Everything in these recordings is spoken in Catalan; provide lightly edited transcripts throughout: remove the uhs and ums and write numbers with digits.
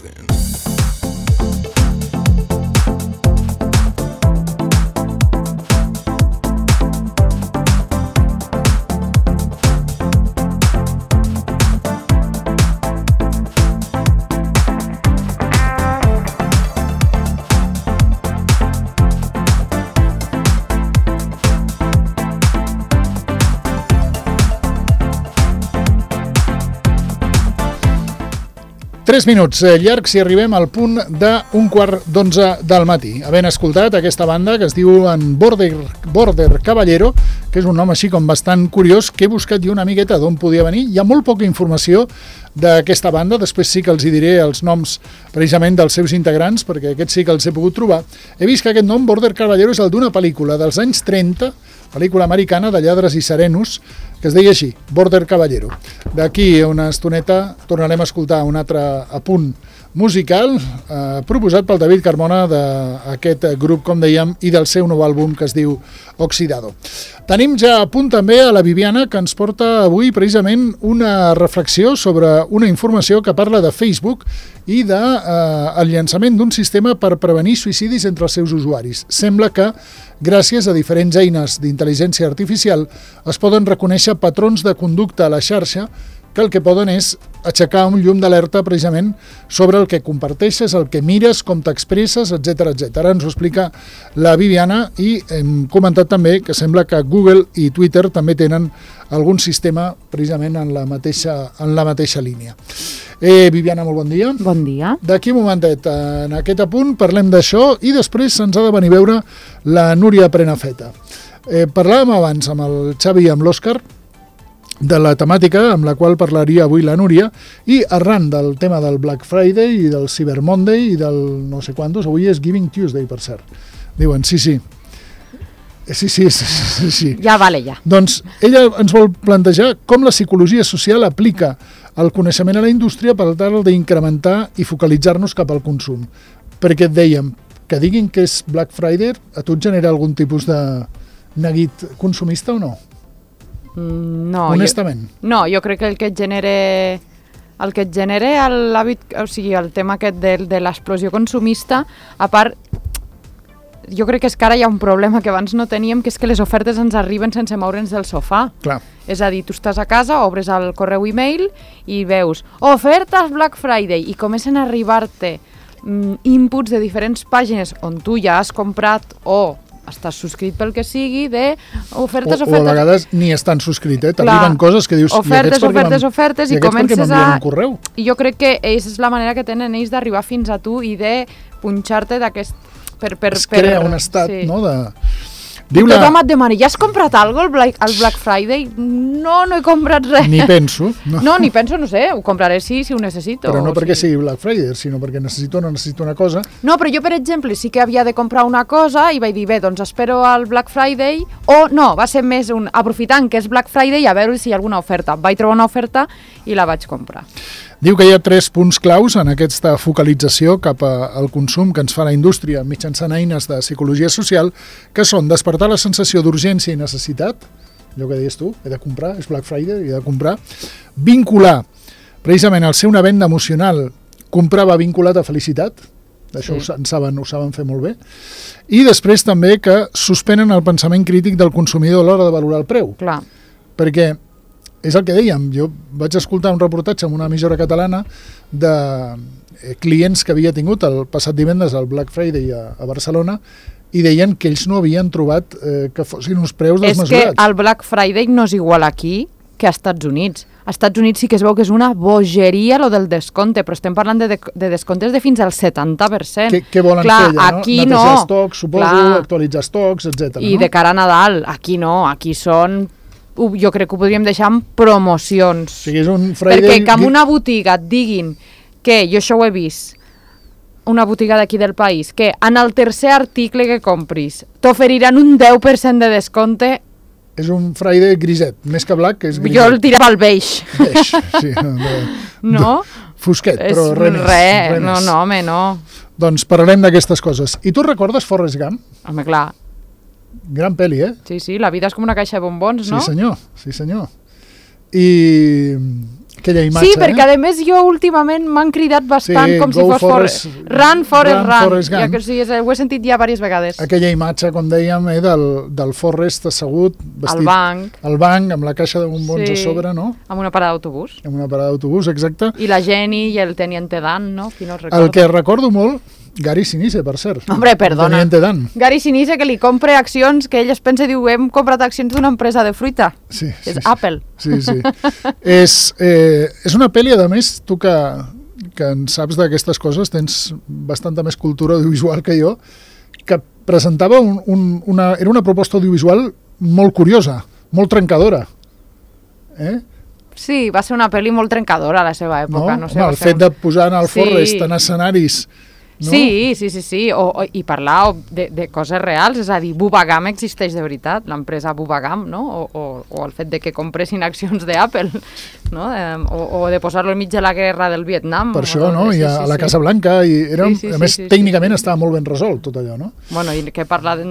nothing. Tres minuts llargs i arribem al punt d'un quart d'11 del matí. Havent escoltat aquesta banda que es diu Border Caballero, que és un nom així com bastant curiós, que he buscat jo una miqueta d'on podia venir. Hi ha molt poca informació d'aquesta banda, després sí que els hi diré els noms precisament dels seus integrants, perquè aquests sí que els he pogut trobar. He vist que aquest nom, Border Caballero, és el d'una pel·lícula dels anys 30, pel·lícula americana de lladres i serenos, que es deia així, Border Caballero. D'aquí a una estoneta tornarem a escoltar un altre apunt musical proposat pel David Carmona d'aquest grup, com dèiem, i del seu nou àlbum que es diu Oxidado. Tenim ja a punt també a la Viviana, que ens porta avui precisament una reflexió sobre una informació que parla de Facebook i del llançament d'un sistema per prevenir suïcidis entre els seus usuaris. Sembla que, gràcies a diferents eines d'intel·ligència artificial, es poden reconèixer patrons de conducta a la xarxa que el que poden és aixecar un llum d'alerta precisament sobre el que comparteixes, el que mires, com t'expresses, etc etc. Ara ens ho explica la Viviana i hem comentat també que sembla que Google i Twitter també tenen algun sistema precisament en la mateixa línia. Viviana, molt bon dia. Bon dia. D'aquí un momentet, en aquest apunt, parlem d'això i després se'ns ha de venir a veure la Núria Prenafeta. Parlàvem abans amb el Xavi i amb l'Òscar de la temàtica amb la qual parlaria avui la Núria i arran del tema del Black Friday i del Cyber Monday i del no sé quantos, avui és Giving Tuesday, per cert. Diuen, sí. Ja vale, ja. Doncs ella ens vol plantejar com la psicologia social aplica el coneixement a la indústria per tal d'incrementar i focalitzar-nos cap al consum. Perquè et dèiem, que diguin que és Black Friday, a tu et genera algun tipus de neguit consumista o no? No. Honestament. Jo crec que el que et genera l'hàbit, o sigui, el tema aquest de l'explosió consumista, a part, jo crec que és que ara hi ha un problema que abans no teníem, que és que les ofertes ens arriben sense moure'ns del sofà. Clar. És a dir, tu estàs a casa, obres el correu e-mail i veus ofertes Black Friday i comencen a arribar-te inputs de diferents pàgines on tu ja has comprat o estàs subscrit pel que sigui, ofertes. O a vegades ni estan subscrit, t'arriben coses que dius... Ofertes, i comences a... Un correu? I jo crec que és la manera que tenen ells d'arribar fins a tu i de punxar-te d'aquest... Es crea un estat, sí. No?, de... Tothom et demana, ja has comprat alguna cosa al Black Friday? No he comprat res. Ni penso. No, no sé, ho compraré sí, si ho necessito. Però no perquè sigui Black Friday, sinó perquè necessito una cosa. No, però jo, per exemple, sí que havia de comprar una cosa i vaig dir, bé, doncs espero al Black Friday, o no, va ser més aprofitant que és Black Friday a veure si hi ha alguna oferta. Vaig trobar una oferta i la vaig comprar. Diu que hi ha 3 punts claus en aquesta focalització cap al consum que ens fa la indústria mitjançant eines de psicologia social, que són despertar la sensació d'urgència i necessitat, allò que deies tu, he de comprar, és Black Friday, he de comprar, vincular, precisament al ser una venda emocional, comprar va vinculat a felicitat, això sí. ho saben fer molt bé, i després també que suspenen el pensament crític del consumidor a l'hora de valorar el preu. Clar. Perquè és el que dèiem, jo vaig escoltar un reportatge en una emissora catalana de clients que havia tingut el passat divendres al Black Friday a Barcelona i deien que ells no havien trobat que fossin uns preus desmesurats. És que el Black Friday no és igual aquí que als Estats Units. Als Estats Units sí que es veu que és una bogeria lo del descompte, però estem parlant de descomptes de fins al 70%. Què volen fer allà, no? Aquí netejar estocs, suposo, actualitzar estocs, etc. I de cara a Nadal, aquí no, aquí són... Jo crec que ho podríem deixar en promocions. O sigui, és un Friday... Perquè que en una botiga et diguin que, jo això ho he vist, una botiga d'aquí del país, que en el tercer article que compris t'oferiran un 10% de descompte. És un Friday griset, més que black, que és griset. Jo el tirava al beige. Beige, sí. No? Fosquet, però res més. No, home, no. Doncs parlarem d'aquestes coses. I tu recordes Forrest Gump? Home, clar. Gran pel·li, Sí, la vida és com una caixa de bombons, no? Sí, senyor. I Aquella imatge, sí, perquè a més jo últimament m'han cridat bastant com si fos Run, Forrest, Run. Ja, sí, ho he sentit ja diverses vegades. Aquella imatge, com dèiem, del Forrest assegut, vestit al banc, amb la caixa de bombons a sobre, no? Amb una parada d'autobús. Amb una parada d'autobús, exacte. I la Jenny i el Teniente Dan, no? Qui no recorda. El que recordo molt, Gary Sinise, per cert. Hombre, perdona. Gary Sinise, que li compra accions, que ell es pensa i diu, hem comprat accions d'una empresa de fruita. Sí. És Apple. Sí. És una pel·li, a més, tu que en saps d'aquestes coses, tens bastanta més cultura audiovisual que jo, que presentava era una proposta audiovisual molt curiosa, molt trencadora. Sí, va ser una pel·li molt trencadora a la seva època. No sé, el fet de posar en el Forrest en escenaris... No? Sí, i parlar de coses reals, és a dir, Bubagam existeix de veritat, l'empresa Bubagam, no? O el fet de que compressin accions d'Apple, no? O de posar-lo enmig de la guerra del Vietnam. Per això, no? I a la Casa Blanca, a més, tècnicament estava molt ben resolt tot allò, no? Bueno, i què parlar,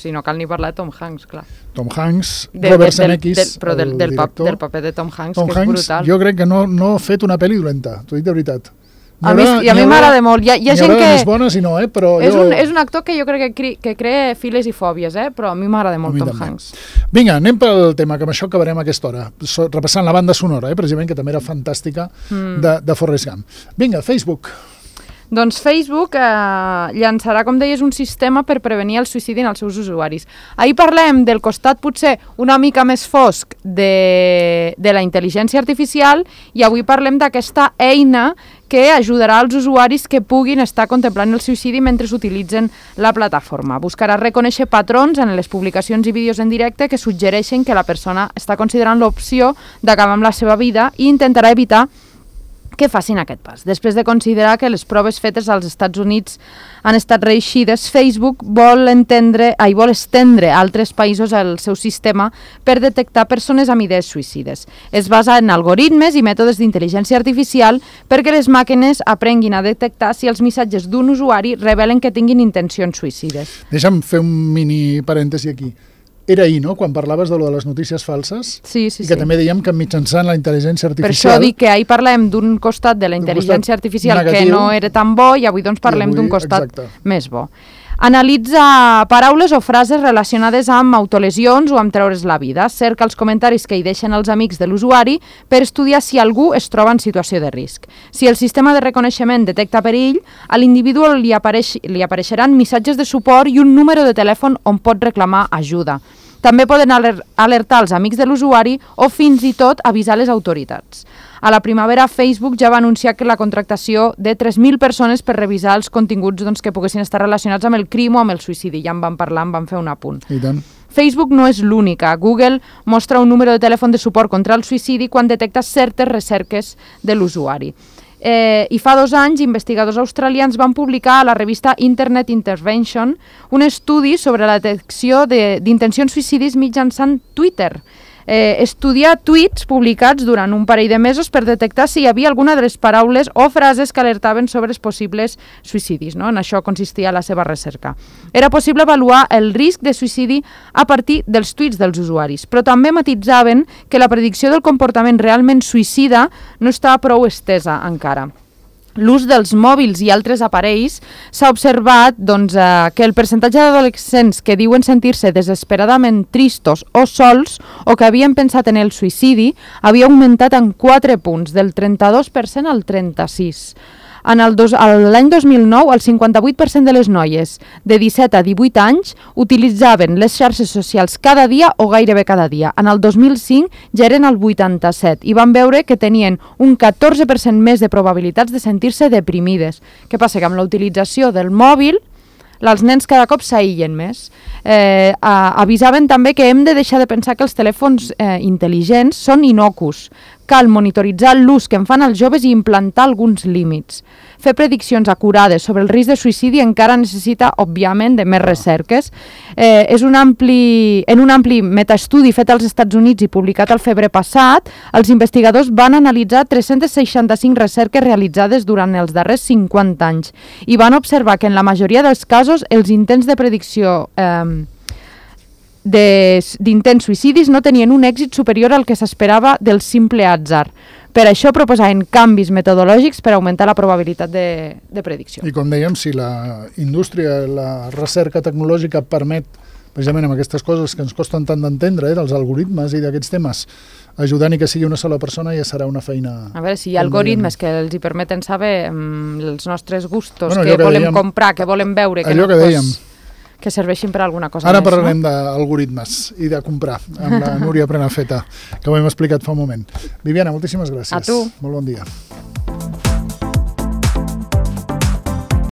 si no cal ni parlar de Tom Hanks, clar. Tom Hanks, Robert Zemeckis, però del paper de Tom Hanks, que és brutal. Jo crec que no ha fet una pel·li dolenta, t'ho dic de veritat. A mi m'agrada molt. Hi ha gent que... més bones i no, però és un actor que jo crec que crea files i fòbies, però a mi m'agrada molt Tom Hanks. Vinga, anem pel tema, que amb això acabarem a aquesta hora. Repassant la banda sonora, precisament, que també era fantàstica, de Forrest Gump. Vinga, Facebook. Doncs Facebook llançarà, com deies, un sistema per prevenir el suïcidi en els seus usuaris. Ahir parlem del costat potser una mica més fosc de la intel·ligència artificial i avui parlem d'aquesta eina que ajudarà als usuaris que puguin estar contemplant el suïcidi mentre utilitzen la plataforma. Buscarà reconèixer patrons en les publicacions i vídeos en directe que suggereixen que la persona està considerant l'opció d'acabar amb la seva vida i intentarà evitar que facin aquest pas. Després de considerar que les proves fetes als Estats Units han estat reeixides, Facebook vol estendre a altres països el seu sistema per detectar persones amb idees suïcides. Es basa en algoritmes i mètodes d'intel·ligència artificial perquè les màquines aprenguin a detectar si els missatges d'un usuari revelen que tinguin intencions suïcides. Deixa'm fer un mini parèntesi aquí. Era ahir, no?, quan parlaves de lo de les notícies falses, i que també dèiem que mitjançant la intel·ligència artificial... Per això dic que ahir parlem d'un costat de la intel·ligència artificial negatiu, que no era tan bo, i avui doncs parlem d'un costat més bo. Analitza paraules o frases relacionades amb autolesions o amb treure's la vida. Cerca els comentaris que hi deixen els amics de l'usuari per estudiar si algú es troba en situació de risc. Si el sistema de reconeixement detecta perill, a l'individu li apareixeran missatges de suport i un número de telèfon on pot reclamar ajuda. També poden alertar els amics de l'usuari o fins i tot avisar les autoritats. A la primavera, Facebook ja va anunciar que la contractació de 3.000 persones per revisar els continguts que poguessin estar relacionats amb el crim o amb el suïcidi. Ja en vam parlar, en vam fer un apunt. I tant. Facebook no és l'única. Google mostra un número de telèfon de suport contra el suïcidi quan detecta certes recerques de l'usuari. I fa 2 anys, investigadors australians van publicar a la revista Internet Intervention un estudi sobre la detecció d'intencions suïcidis mitjançant Twitter. Estudiar tuits publicats durant un parell de mesos per detectar si hi havia alguna de les paraules o frases que alertaven sobre els possibles suïcidis. No? En això consistia la seva recerca. Era possible avaluar el risc de suïcidi a partir dels tuits dels usuaris, però també matissaven que la predicció del comportament realment suïcida no estava prou estesa encara. L'ús dels mòbils i altres aparells s'ha observat que el percentatge d'adolescents que diuen sentir-se desesperadament tristos o sols o que havien pensat en el suïcidi havia augmentat en 4 punts, del 32% al 36%. L'any 2009, el 58% de les noies de 17 a 18 anys utilitzaven les xarxes socials cada dia o gairebé cada dia. En el 2005 ja eren el 87% i van veure que tenien un 14% més de probabilitats de sentir-se deprimides. Què passa? Que amb la utilització del mòbil els nens cada cop s'aïllen més. Avisaven també que hem de deixar de pensar que els telèfons intel·ligents són innocus. Cal monitoritzar l'ús que en fan els joves i implantar alguns límits. Fer prediccions acurades sobre el risc de suïcidi encara necessita, òbviament, de més recerques. En un ampli metaestudi fet als Estats Units i publicat al febrer passat, els investigadors van analitzar 365 recerques realitzades durant els darrers 50 anys i van observar que en la majoria dels casos els intents de predicció d'intents suïcidis no tenien un èxit superior al que s'esperava del simple atzar. Per això proposaven canvis metodològics per augmentar la probabilitat de predicció. I com dèiem, si la indústria, la recerca tecnològica permet, precisament amb aquestes coses que ens costen tant d'entendre, dels algoritmes i d'aquests temes, ajudant i que sigui una sola persona, ja serà una feina... A veure, si hi ha algoritmes que els hi permeten saber els nostres gustos, què volem comprar, què volem veure, allò que dèiem, que serveixin per alguna cosa ara més. Ara parlarem d'algoritmes i de comprar amb la Núria Prenafeta, que ho hem explicat fa un moment. Viviana, moltíssimes gràcies. A tu. Molt bon dia.